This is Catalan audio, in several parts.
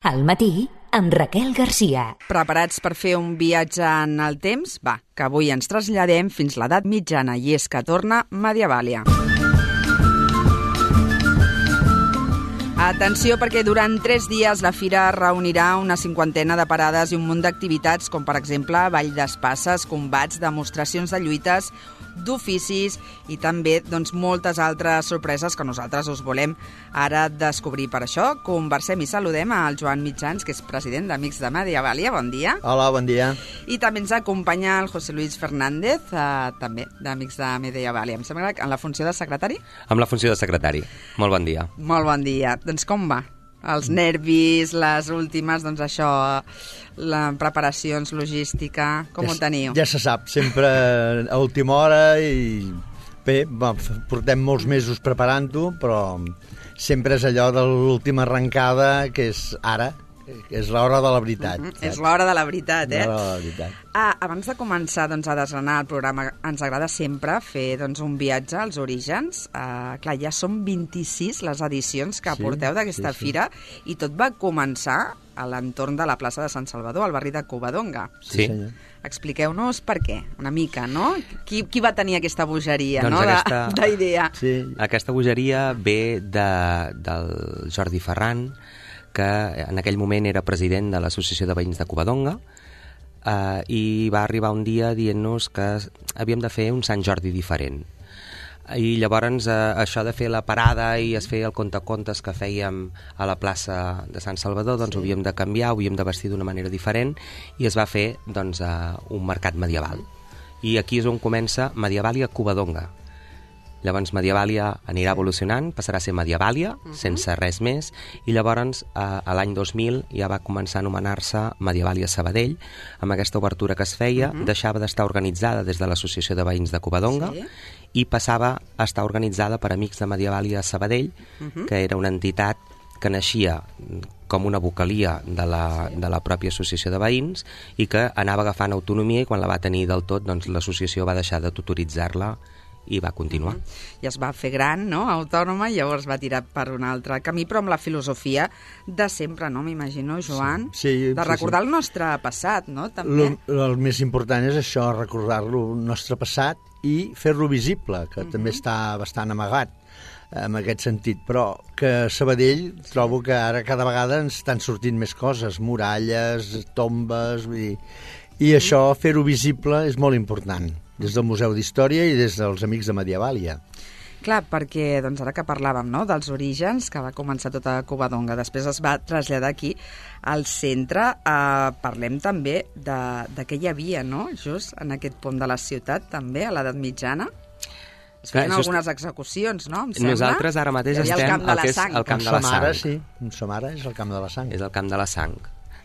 Al matí, amb Raquel Garcia. Preparats per fer un viatge en el temps? Va, que avui ens traslladem fins l'edat mitjana i és que torna Medievàlia. Atenció, perquè durant 3 dies la fira reunirà una 50ena de parades i un munt d'activitats, com per exemple ball d'espasses, combats, demostracions de lluites, d'oficis i també moltes altres sorpreses que nosaltres us volem ara descobrir. Per això conversem i saludem al Joan Mitjans, que és president d'Amics de Medievàlia. Bon dia. Hola, bon dia. I també ens acompanya el José Luis Fernández, també d'Amics de Medievàlia. Em sembla que en la funció de secretari? Amb la funció de secretari. Molt bon dia. Molt bon dia. Doncs com va? Els nervis, les últimes, això, les preparacions, logística, com ho teniu? Ja se sap, sempre a última hora i bé, portem molts mesos preparant-ho, però sempre és allò de l'última arrencada, que és ara, que és l'hora de la veritat. És l'hora de la veritat, L'hora de la veritat. Abans de començar a desgranar el programa, ens agrada sempre fer un viatge als orígens. Clar, ja són 26 les edicions que porteu d'aquesta fira i tot va començar a l'entorn de la plaça de Sant Salvador, al barri de Covadonga. Sí. Expliqueu-nos per què, una mica, no? Qui va tenir aquesta bogeria, doncs d'idea? Sí. Aquesta bogeria ve del Jordi Ferran, que en aquell moment era president de l'Associació de Veïns de Covadonga, i va arribar un dia dient-nos que havíem de fer un Sant Jordi diferent. I llavors això de fer la parada i es feia el contacontes que fèiem a la plaça de Sant Salvador, ho havíem de canviar, ho havíem de vestir d'una manera diferent i es va fer un mercat medieval. I aquí és on comença Medievàlia Covadonga. Llavors Medievàlia anirà evolucionant, passarà a ser Medievàlia, sense res més, i llavors a l'any 2000 ja va començar a anomenar-se Medievàlia Sabadell, amb aquesta obertura que es feia, deixava d'estar organitzada des de l'Associació de Veïns de Covadonga i passava a estar organitzada per Amics de Medievàlia Sabadell, que era una entitat que naixia com una vocalia de la pròpia associació de veïns i que anava agafant autonomia, i quan la va tenir del tot, l'associació va deixar de tutoritzar-la i va continuar. I es va fer gran, no?, autònoma, i llavors va tirar per un altre camí, però amb la filosofia de sempre, no?, m'imagino, Joan? Sí, de recordar el nostre passat, no?, també. El més important és això, recordar-lo, el nostre passat, i fer-lo visible, que també està bastant amagat en aquest sentit, però que a Sabadell trobo que ara cada vegada ens estan sortint més coses, muralles, tombes, i això, fer-ho visible, és molt important, des del Museu d'Història i des dels Amics de Medievàlia. Clar, perquè ara que parlàvem, no?, dels orígens, que va començar tota Covadonga, després es va traslladar aquí al centre, parlem també de què hi havia, no?, just en aquest pont de la ciutat, també, a l'edat mitjana. Es feien algunes execucions, no?, em sembla. Nosaltres ara mateix estem al que és el Camp de la Sang. Sí, on som ara és el Camp de la Sang. És el Camp de la Sang.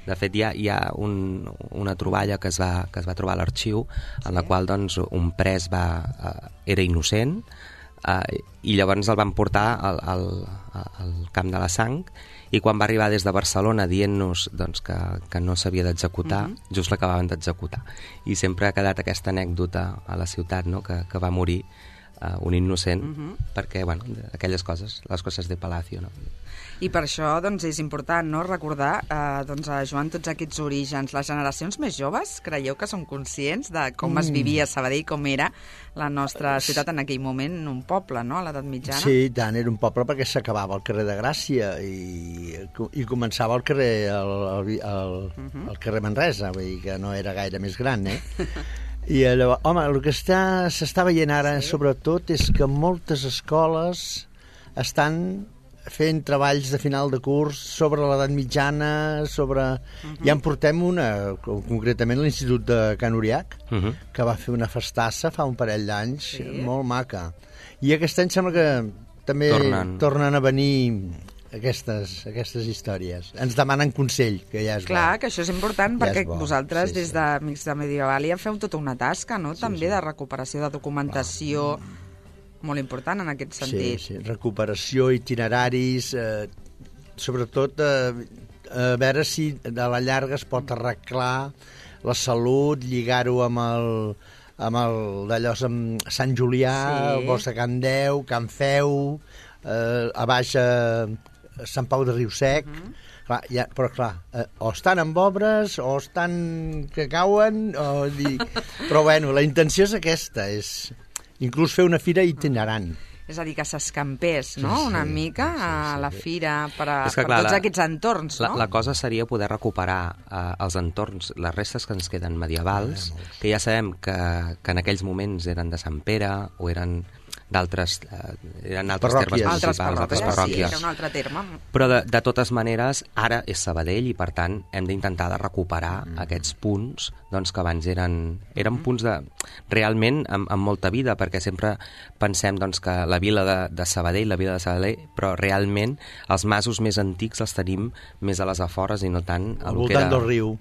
De fet, hi ha una troballa que es va trobar a l'arxiu, en la qual un pres era innocent, i llavors el van portar al Camp de la Sang, i quan va arribar des de Barcelona dient-nos que no s'havia d'executar, just l'acabaven d'executar. I sempre ha quedat aquesta anècdota a la ciutat, no?, que va morir un innocent, perquè, aquelles coses, les coses de Palacio, no? I per això, és important, no?, recordar, Joan, tots aquests orígens. Les generacions més joves, creieu que són conscients de com es vivia a Sabadell, com era la nostra ciutat en aquell moment, un poble, no?, a l'edat mitjana? Sí, tant, era un poble perquè s'acabava al carrer de Gràcia i començava al carrer, al carrer Manresa, vull dir que no era gaire més gran, I llavors, el que s'està veient ara, sobretot, és que moltes escoles estan fent treballs de final de curs sobre l'edat mitjana, Ja en portem una, concretament l'Institut de Can Uriach, que va fer una festassa fa un parell d'anys, molt maca. I aquest any sembla que també tornen a venir aquestes històries. Ens demanen consell, que ja és Clar, bo. que això és important, perquè vosaltres, des d'Amics de Medievàlia, feu tota una tasca, no?, també de recuperació de documentació, molt important en aquest sentit. Sí, recuperació, itineraris, sobretot a veure si a la llarga es pot arreglar la salut, lligar-ho amb Sant Julià, el bosc de Can Deu, Can Feu, a baix Sant Pau de Riu Sec, Clar, ja, però clar, o estan amb obres, o estan que cauen, o dir... Però bueno, la intenció és aquesta, és inclús fer una fira itinerant. És a dir, que s'escampés, no?, una mica a la fira per clar, tots aquests entorns, no? La cosa seria poder recuperar els entorns, les restes que ens queden medievals, que ja sabem que en aquells moments eren de Sant Pere o eren d'altres termes municipals, altres parròquies. Sí, era un altre terme. Però de totes maneres, ara és Sabadell i per tant hem d'intentar de recuperar aquests punts doncs, que abans eren punts de realment amb molta vida, perquè sempre pensem doncs, que la vila de Sabadell, però realment els masos més antics els tenim més a les afores i no tant al voltant del riu.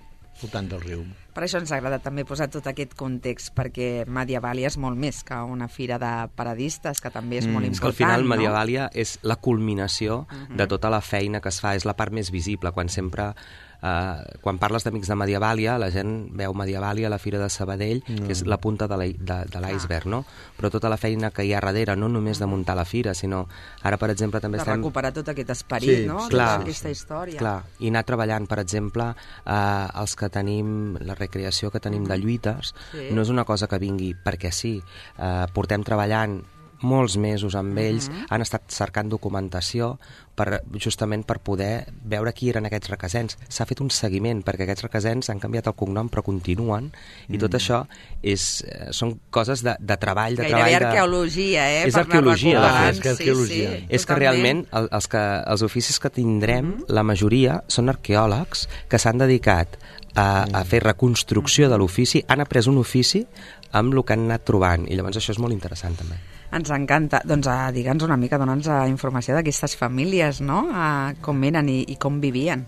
Per això ens agrada també posar tot aquest context, perquè Medievàlia és molt més que una fira de paradistes, que també és molt important. És que al final Medievàlia és la culminació de tota la feina que es fa, és la part més visible, quan parles d'Amics de Medievàlia, la gent veu Medievàlia a la Fira de Sabadell, que és la punta de l'iceberg, no? Però tota la feina que hi ha darrere, no només de muntar la fira, sinó ara, per exemple, també estem... De recuperar tot aquest esperit, no? Clar, tota aquesta història. Clar, i anar treballant, per exemple, els que tenim, la recreació que tenim de lluites, no és una cosa que vingui perquè sí. Portem treballant molts mesos amb ells, han estat cercant documentació justament per poder veure qui eren aquests requesens. S'ha fet un seguiment, perquè aquests requesens han canviat el cognom però continuen, i tot això són coses de treball, Gairebé arqueologia, És arqueologia, És que realment els oficis que tindrem, la majoria són arqueòlegs que s'han dedicat a fer reconstrucció de l'ofici, han après un ofici amb el que han anat trobant, i llavors això és molt interessant també. Ens encanta. Doncs digue'ns una mica, dona'ns informació d'aquestes famílies, no? Com eren i com vivien.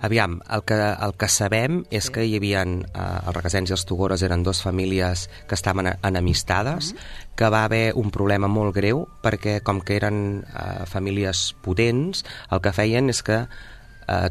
Aviam, el que sabem és que hi havia els Requesens i els Togores eren dues famílies que estaven enemistades, que va haver un problema molt greu perquè com que eren famílies potents, el que feien és que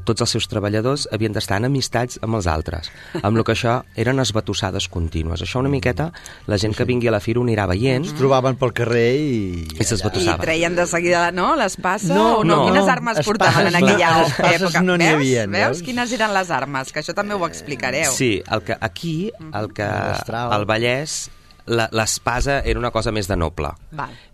tots els seus treballadors havien d'estar en amistats amb els altres, amb el que això eren esbatussades contínues. Això una miqueta, la gent que vingui a la fira ho anirà veient. Es trobaven pel carrer i s'esbatussaven. I treien de seguida, no?, l'espasa? No. Quines armes portaven en aquella època? Espases no n'hi havia. Veus quines eren les armes? Que això també ho explicareu. Sí, al Vallès l'espasa era una cosa més de noble.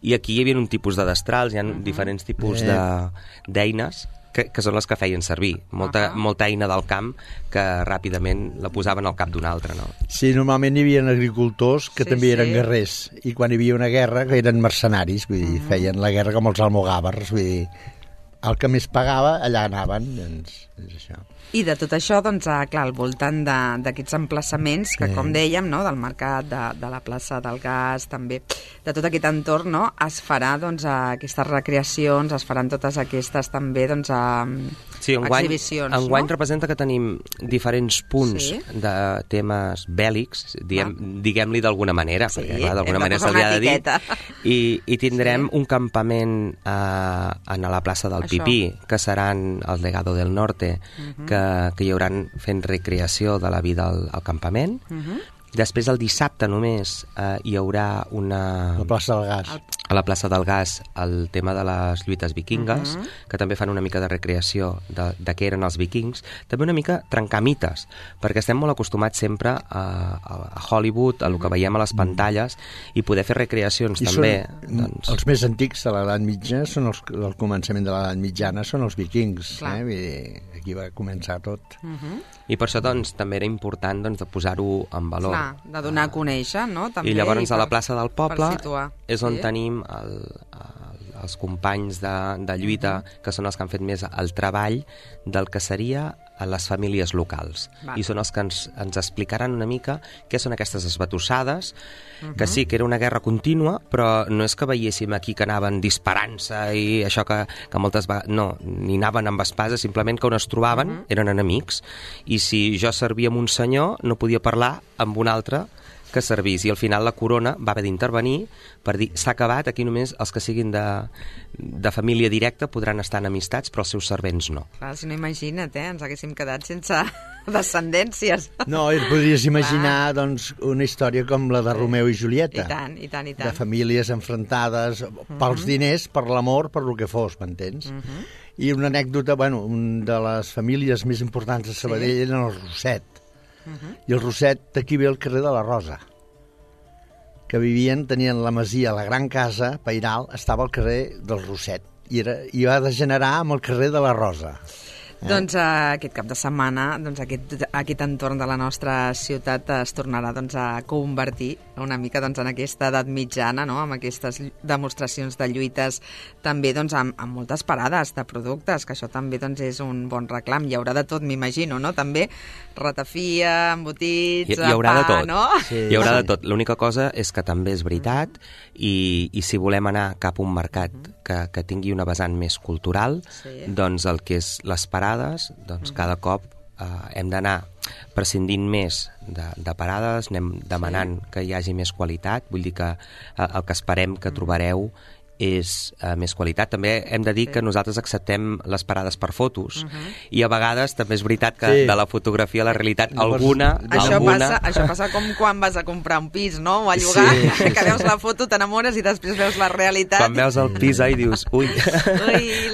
I aquí hi havia un tipus de destrals, hi ha diferents tipus d'eines que són les que feien servir. Molta eina del camp que ràpidament la posaven al cap d'un altre, no? Sí, normalment hi havia agricultors que també eren guerrers, i quan hi havia una guerra que eren mercenaris, vull dir, feien la guerra com els almogàvers, vull dir, el que més pagava, allà anaven, doncs és això. I de tot això, doncs, clar, al voltant d'aquests emplaçaments, que com dèiem, no?, del mercat, de la plaça del Gas, també, de tot aquest entorn, no?, es farà, doncs, aquestes recreacions, es faran totes aquestes, també, doncs, exhibicions, enguany representa que tenim diferents punts de temes bèl·lics, diguem-li d'alguna manera, perquè, clar, d'alguna manera se li ha de dir, i tindrem un campament a la plaça del Pipí, que seran el Legado del Norte, que hi hauran fent recreació de la vida al campament. Després, el dissabte només, hi haurà la plaça del Gas. A la plaça del Gas, el tema de les lluites vikingues, que també fan una mica de recreació de què eren els vikings. També una mica trencar mites, perquè estem molt acostumats sempre a Hollywood, a el que veiem a les pantalles, i poder fer recreacions també. Els més antics de l'edat mitja, al començament de l'edat mitjana, són els vikings. Vull dir, aquí va començar tot. I per això, doncs, també era important de posar-ho en valor. De donar a conèixer, no? També, i llavors a la plaça del poble és on tenim els companys de lluita, que són els que han fet més el treball del que seria a les famílies locals. I són els que ens explicaran una mica què són aquestes esbatussades, que sí, que era una guerra contínua, però no és que veiéssim aquí que anaven disparant-se i això que moltes vegades... No, ni anaven amb espases, simplement que on es trobaven eren enemics. I si jo servia amb un senyor, no podia parlar amb un altre que servís, i al final la corona va haver d'intervenir per dir, s'ha acabat, aquí només els que siguin de família directa podran estar en amistats, però els seus servents no. Clar, si no, imagina't, ens haguéssim quedat sense descendències. No, et podries imaginar doncs, una història com la de Romeu i Julieta. I tant. De famílies enfrontades pels diners, per l'amor, per lo que fos, m'entens? I una anècdota, bueno, una de les famílies més importants de Sabadell eren el Roset. I el Roset, d'aquí ve el carrer de la Rosa, que tenien la masia, la gran casa pairal, estava al carrer del Roset, i va degenerar amb el carrer de la Rosa. Doncs aquest cap de setmana aquest entorn de la nostra ciutat es tornarà a convertir una mica en aquesta edat mitjana, no? Amb aquestes demostracions de lluites, també amb moltes parades de productes, que això també és un bon reclam. Hi haurà de tot, m'imagino, no? També ratafia, embotits, hi haurà pa, de tot. No? Sí, hi haurà de tot. L'única cosa és que també és veritat i si volem anar cap a un mercat que tingui una vessant més cultural, doncs el que és les parades, doncs cada cop hem d'anar prescindint més de parades, anem demanant que hi hagi més qualitat, vull dir que el que esperem que trobareu és més qualitat. També hem de dir que nosaltres acceptem les parades per fotos i a vegades també és veritat que de la fotografia a la realitat alguna... Això passa com quan vas a comprar un pis, no? O a llogar, que veus la foto, t'enamores i després veus la realitat. Quan veus el pis i dius, ui,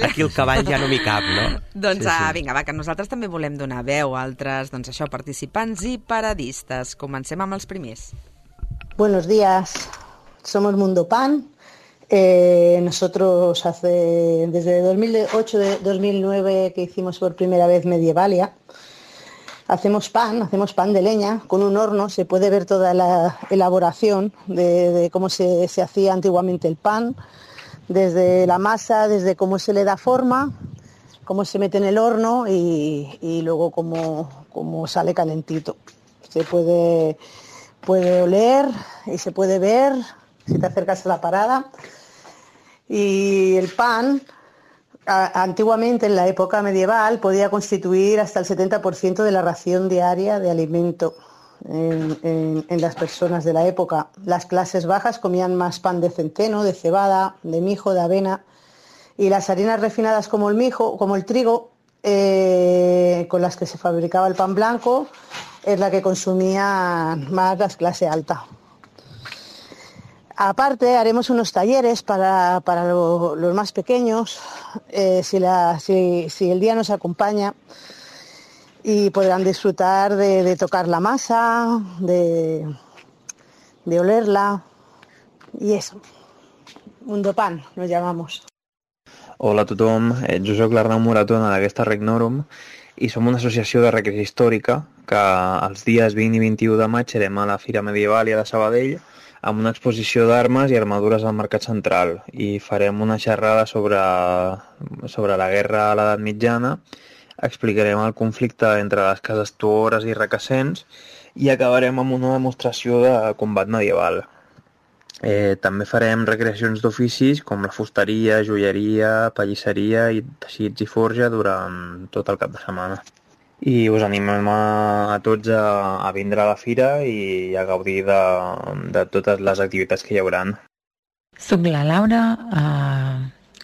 aquí el cavall ja no m'hi cap, no? Doncs vinga, va, que nosaltres també volem donar veu a altres, participants i paradistes. Comencem amb els primers. Buenos días, somos Mundo Pan. Nosotros desde 2008-2009 que hicimos por primera vez Medievalia, hacemos pan de leña con un horno. Se puede ver toda la elaboración de cómo se hacía antiguamente el pan, desde la masa, desde cómo se le da forma, cómo se mete en el horno y luego cómo sale calentito. Se puede oler y se puede ver si te acercas a la parada. Y el pan, antiguamente en la época medieval, podía constituir hasta el 70% de la ración diaria de alimento en las personas de la época. Las clases bajas comían más pan de centeno, de cebada, de mijo, de avena, y las harinas refinadas como el trigo, con las que se fabricaba el pan blanco, es la que consumía más la clase alta. Aparte, haremos unos talleres para los más pequeños, si el día nos acompaña, y podrán disfrutar de tocar la masa, de olerla, y eso. Mundo Pan, nos llamamos. Hola a tothom, jo soc l'Arnau Moratona d'aquesta Regnorum i som una associació de recreació històrica que els dies 20 i 21 de maig serem a la Fira Medievalia de Sabadell amb una exposició d'armes i armadures al Mercat Central i farem una xerrada sobre la guerra a l'edat mitjana, explicarem el conflicte entre les cases tuores i requesens i acabarem amb una demostració de combat medieval. També farem recreacions d'oficis com la fusteria, joieria, pallisseria i teixits i forja durant tot el cap de setmana. I us animem a tots a vindre a la fira i a gaudir de totes les activitats que hi haurà. Soc la Laura,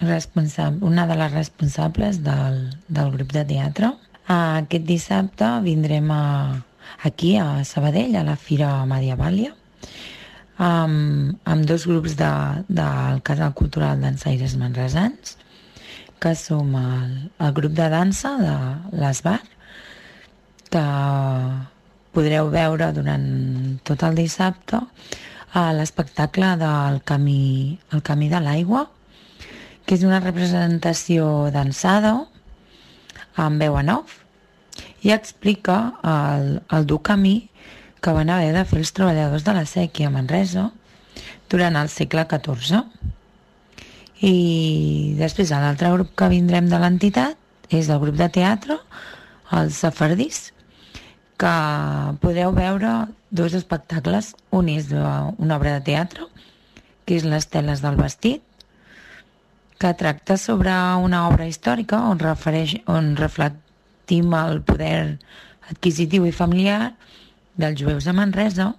una de les responsables del grup de teatre. Aquest dissabte vindrem aquí a Sabadell, a la Fira Medievalia, amb dos grups del Casal Cultural Dansaires Manresans, que som el grup de dansa de l'Esbar, que podreu veure durant tot el dissabte a l'espectacle del Camí de l'Aigua, que és una representació dansada amb veu en off i explica el dur camí que van haver de fer els treballadors de la séquia a Manresa durant el segle XIV. I després l'altre grup que vindrem de l'entitat és el grup de teatre, els Safardís, que podreu veure dos espectacles. Un és una obra de teatre, que és Les teles del vestit, que tracta sobre una obra històrica on reflectim el poder adquisitiu i familiar dels jueus a Manresa,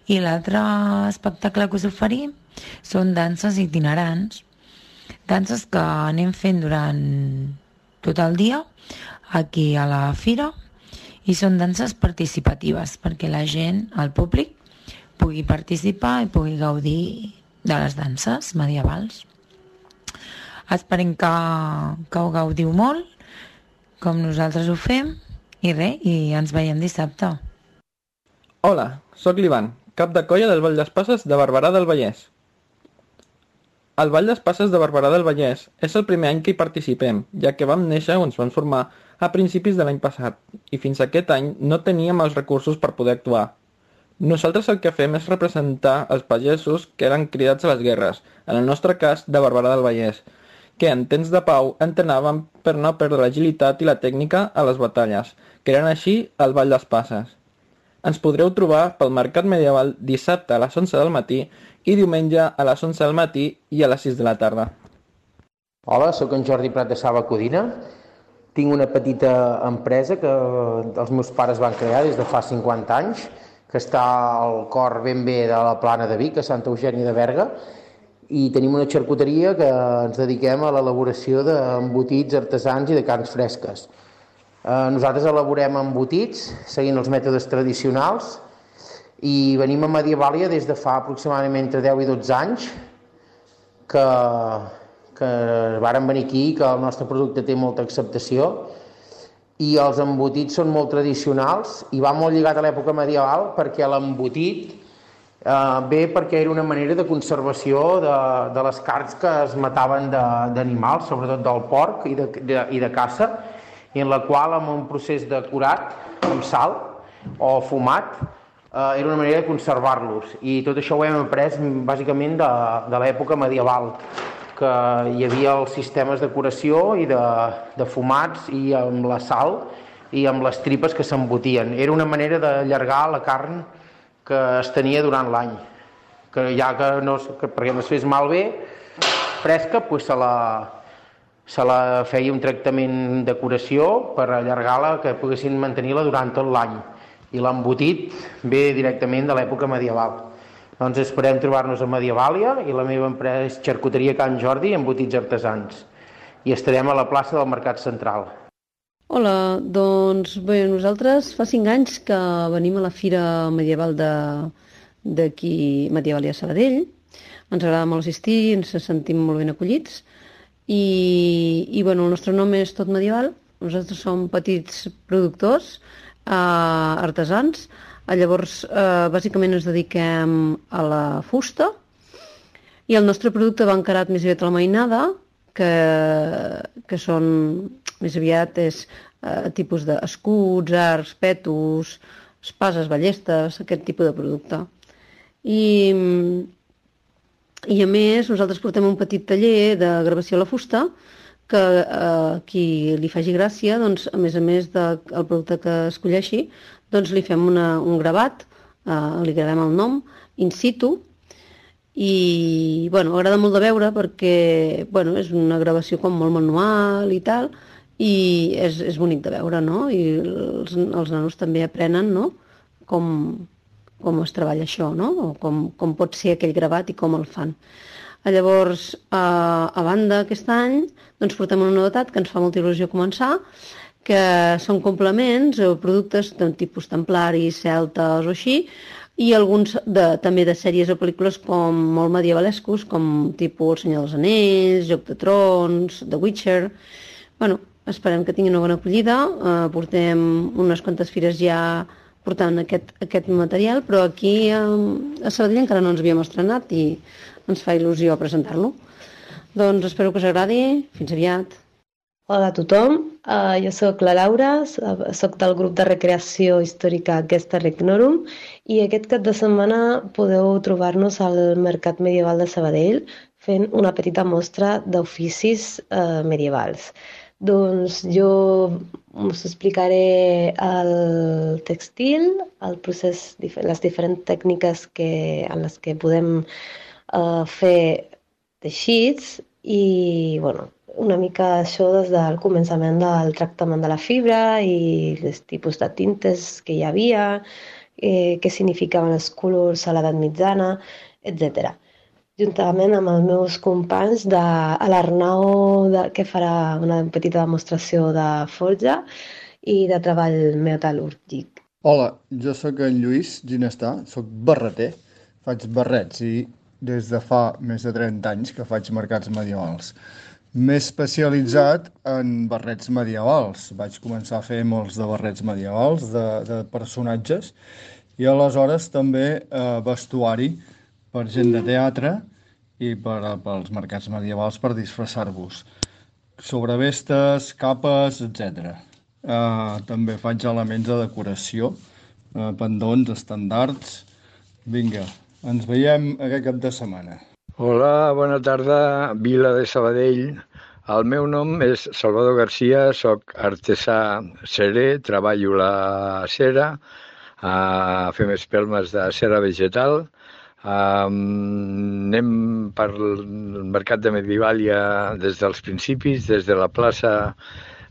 i l'altre espectacle que us oferim són danses itinerants, danses que anem fent durant tot el dia aquí a la fira, i són danses participatives perquè la gent, el públic, pugui participar i pugui gaudir de les danses medievals. Esperem que ho gaudiu molt, com nosaltres ho fem, i ens veiem dissabte. Hola, sóc l'Ivan, cap de colla del Ball d'Espasses de Barberà del Vallès. El Ball d'Espasses de Barberà del Vallès és el primer any que hi participem, ja que vam néixer o ens vam formar a principis de l'any passat, i fins aquest any no teníem els recursos per poder actuar. Nosaltres el que fem és representar els pagesos que eren cridats a les guerres, en el nostre cas de Barberà del Vallès, que en temps de pau entrenaven per no perdre l'agilitat i la tècnica a les batalles, que eren així el Ball d'Espasses. Ens podreu trobar pel Mercat Medieval dissabte a les 11 del matí i diumenge a les 11 del matí i a les 6 de la tarda. Hola, sóc en Jordi Prat de Saba Codina. Tinc una petita empresa que els meus pares van crear des de fa 50 anys, que està al cor ben bé de la Plana de Vic, a Santa Eugènia de Berga, i tenim una xarcuteria que ens dediquem a l'elaboració d'embotits artesans i de carns fresques. Nosaltres elaborem embotits seguint els mètodes tradicionals i venim a Medievàlia des de fa aproximadament entre 10 i 12 anys que vàrem venir aquí, que el nostre producte té molta acceptació i els embotits són molt tradicionals i va molt lligat a l'època medieval perquè l'embotit ve perquè era una manera de conservació de les carns que es mataven d'animals, sobretot del porc i de caça, i en la qual amb un procés de curat amb sal o fumat era una manera de conservar-los, i tot això ho hem après bàsicament de l'època medieval, que hi havia els sistemes de curació i de fumats i amb la sal i amb les tripes que s'embotien. Era una manera d'allargar la carn que es tenia durant l'any, que ja perquè no es fes malbé, fresca, doncs se la feia un tractament de curació per allargar-la, que poguessin mantenir-la durant tot l'any. I l'embotit ve directament de l'època medieval. Doncs esperem trobar-nos a Medievàlia, i la meva empresa és Xarcuteria Can Jordi, embotits artesans. I estarem a la plaça del Mercat Central. Hola, doncs bé, nosaltres fa 5 anys que venim a la Fira Medieval d'aquí, Medievàlia Sabadell. Ens agrada molt assistir, ens sentim molt ben acollits. I bueno, el nostre nom és Tot Medieval. Nosaltres som petits productors, artesans. Llavors, bàsicament ens dediquem a la fusta, i el nostre producte va encarat més aviat a la mainada, que són més aviat tipus d'escuts, arcs, petos, espases, ballestes, aquest tipus de producte. I a més, nosaltres portem un petit taller de gravació a la fusta, que a qui li faci gràcia, doncs, a més del producte que escolleixi, doncs li fem un gravat, li gravem el nom, in situ, i bueno, agrada molt de veure perquè bueno, és una gravació com molt manual i tal, i és bonic de veure, no? I els nanos també aprenen, no? Com es treballa això, no? O com pot ser aquell gravat i com el fan. Llavors, a banda, aquest any, doncs portem una novetat que ens fa molta il·lusió començar, que són complements o productes de tipus templaris, celtes o així, i alguns també de sèries o pel·lícules com molt medievalescos, com tipus El Senyor dels Anells, Joc de Trons, The Witcher. Bueno, esperem que tinguin una bona acollida. Portem unes quantes fires ja portant aquest material, però aquí a Sabadell encara no ens havíem estrenat i ens fa il·lusió presentar-lo. Doncs espero que us agradi. Fins aviat. Hola a tothom, jo sóc la Laura, sóc del grup de recreació històrica Gesta Regnorum, i aquest cap de setmana podeu trobar-nos al Mercat Medieval de Sabadell fent una petita mostra d'oficis medievals. Doncs jo us explicaré el textil, el procés, les diferents tècniques en les que podem fer teixits i, bueno, una mica això des del començament del tractament de la fibra i els tipus de tintes que hi havia, què significaven els colors a l'edat mitjana, etc. Juntament amb els meus companys, l'Arnau, que farà una petita demostració de forja i de treball metal·lúrgic. Hola, jo sóc en Lluís Ginestà, sóc barreter, faig barrets i des de fa més de 30 anys que faig mercats medievals. M'he especialitzat en barrets medievals. Vaig començar a fer molts de barrets medievals, de personatges, i aleshores també vestuari per gent de teatre i pels mercats medievals per disfressar-vos. Sobrevestes, capes, etc. També faig elements de decoració, pendons, estandards. Vinga, ens veiem aquest cap de setmana. Hola, bona tarda, Vila de Sabadell. El meu nom és Salvador Garcia, soc artesà cerer, treballo la cera, fem espelmes de cera vegetal. Anem per mercat de Medievalia des dels principis, des de la plaça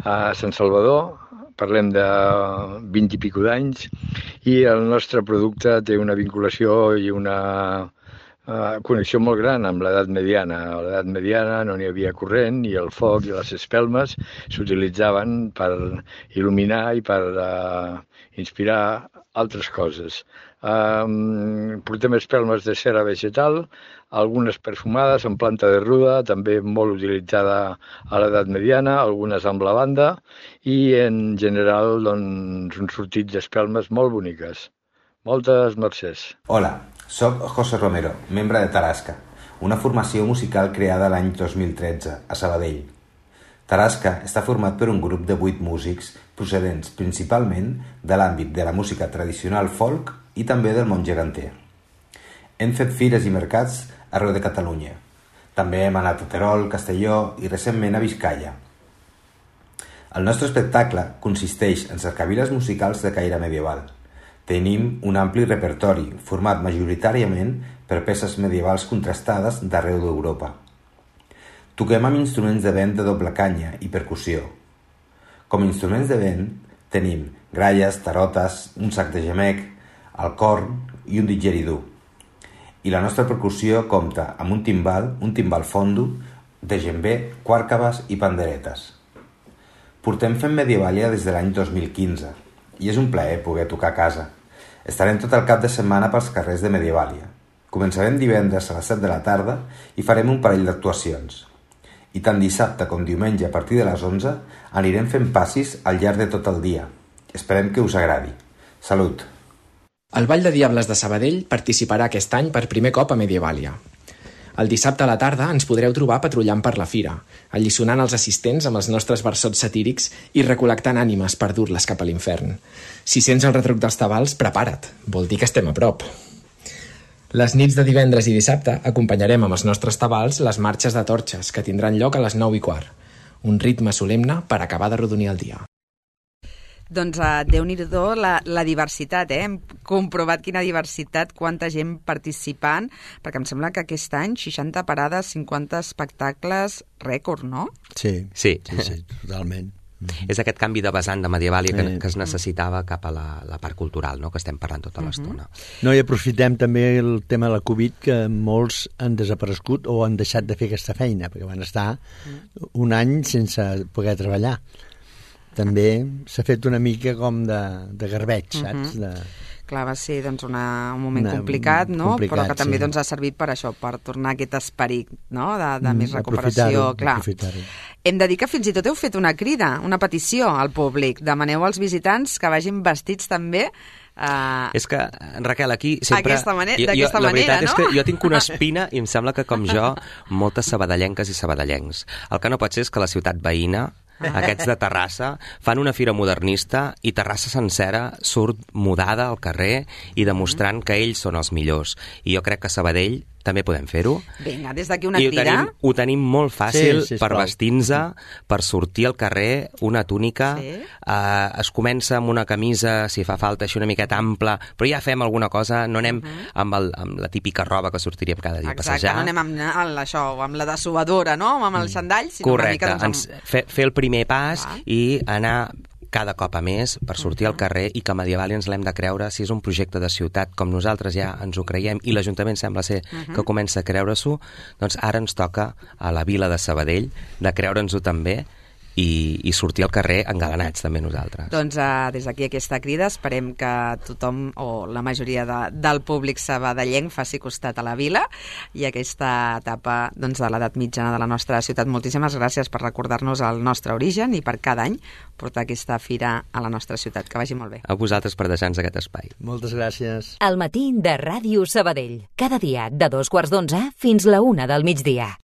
a Sant Salvador, parlem de 20 i pico d'anys, i el nostre producte té una vinculació i una connexió molt gran amb l'edat mediana. A l'edat mediana no n'hi havia corrent i el foc i les espelmes s'utilitzaven per il·luminar i per inspirar altres coses. Portem espelmes de cera vegetal, algunes perfumades en planta de ruda, també molt utilitzada a l'edat mediana, algunes amb lavanda i en general doncs, un sortit d'espelmes molt boniques. Moltes mercès. Hola, soc José Romero, membre de Tarasca, una formació musical creada l'any 2013 a Sabadell. Tarasca està format per un grup de 8 músics procedents principalment de l'àmbit de la música tradicional folk i també del món geganter. Hem fet fires i mercats arreu de Catalunya. També hem anat a Terol, Castelló i recentment a Vizcaya. El nostre espectacle consisteix en cercaviles musicals de caire medieval. Tenim un ampli repertori, format majoritàriament per peces medievals contrastades d'arreu d'Europa. Toquem amb instruments de vent de doble canya i percussió. Com a instruments de vent tenim gralles, tarotes, un sac de gemec, el corn i un didgeridú. I la nostra percussió compta amb un timbal fondo, djembe, quàrcaves i panderetes. Portem fent Medievalia des de l'any 2015 i és un plaer poder tocar a casa. Estarem tot el cap de setmana pels carrers de Medievalia. Començarem divendres a les 7 de la tarda i farem un parell d'actuacions. I tant dissabte com diumenge a partir de les 11 anirem fent passis al llarg de tot el dia. Esperem que us agradi. Salut! El Ball de Diables de Sabadell participarà aquest any per primer cop a Medievalia. El dissabte a la tarda ens podreu trobar patrullant per la fira, alliçonant els assistents amb els nostres versots satírics i recol·lectant ànimes per dur-les cap a l'infern. Si sents el retruc dels tabals, prepara't, vol dir que estem a prop. Les nits de divendres i dissabte acompanyarem amb els nostres tabals les marxes de torxes, que tindran lloc a les 9:15. Un ritme solemne per acabar d'arrodonir el dia. Doncs Déu-n'hi-do la diversitat, Hem comprovat quina diversitat, quanta gent participant, perquè em sembla que aquest any 60 parades, 50 espectacles, rècord, no? Sí, totalment. És aquest canvi de vessant de Medievalia que es necessitava cap a la part cultural, no?, que estem parlant tota l'estona. No, i aprofitem també el tema de la Covid, que molts han desaparegut o han deixat de fer aquesta feina, perquè van estar un any sense poder treballar. També s'ha fet una mica com de garbeig, saps? Clar, va ser doncs, un moment complicat, no? Però que també ha servit per això, per tornar a aquest esperit, no?, de més recuperació. Aprofitar-ho. Hem de dir que fins i tot heu fet una crida, una petició al públic. Demaneu als visitants que vagin vestits també. És que, Raquel, aquí sempre... D'aquesta manera, la veritat no? És que jo tinc una espina i em sembla que, com jo, moltes sabadellenques i sabadellencs. El que no pot ser és que la ciutat veïna, aquests de Terrassa, fan una fira modernista i Terrassa sencera surt mudada al carrer i demostrant que ells són els millors. I jo crec que a Sabadell també podem fer-ho. Vinga, des d'aquí una crida. I ho tenim molt fàcil per vestir-nos, per sortir al carrer, una túnica, es comença amb una camisa, si fa falta, així una miqueta ampla, però ja fem alguna cosa, no anem amb la típica roba que sortiríem cada dia a passejar. Exacte, no anem amb la dessuadora, no?, amb el xandall, sinó una mica... Correcte, fer el primer pas i anar cada cop a més per sortir al carrer i que Medievalia ens l'hem de creure. Si és un projecte de ciutat com nosaltres ja ens ho creiem i l'Ajuntament sembla ser que comença a creure-s'ho, doncs ara ens toca a la vila de Sabadell de creure'ns-ho també i sortir al carrer engalanats també nosaltres. Doncs des d'aquí aquesta crida esperem que tothom o la majoria del públic sabadellenc faci costat a la vila i aquesta etapa de l'edat mitjana de la nostra ciutat. Moltíssimes gràcies per recordar-nos el nostre origen i per cada any portar aquesta fira a la nostra ciutat. Que vagi molt bé. A vosaltres per deixar-nos aquest espai. Moltes gràcies. Al matí de Ràdio Sabadell. Cada dia de 2:15 fins la 1 del migdia.